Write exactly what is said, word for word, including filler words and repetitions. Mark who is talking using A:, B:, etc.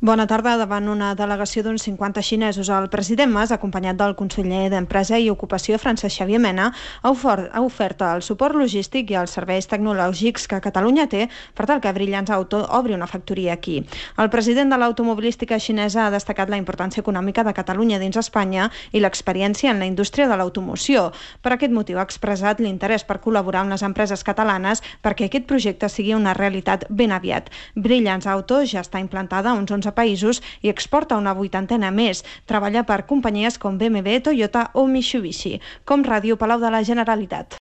A: Bona tarda. Davant una delegació d'uns cinquanta xinesos, el president Mas, acompanyat del conseller d'Empresa i Ocupació, Francesc Xavier Mena, ha ofert, ha ofert el suport logístic i els serveis tecnològics que Catalunya té per tal que Brilliance Auto obri una factoria aquí. El president de l'automobilística xinesa ha destacat la importància econòmica de Catalunya dins Espanya i l'experiència en la indústria de l'automoció. Per aquest motiu ha expressat l'interès per col·laborar amb les empreses catalanes perquè aquest projecte sigui una realitat ben aviat. Brilliance Auto ja està implantada a uns onze països i exporta una vuitantena més. Treballa per companyies com B M W, Toyota o Mitsubishi. Com Ràdio, Palau de la Generalitat.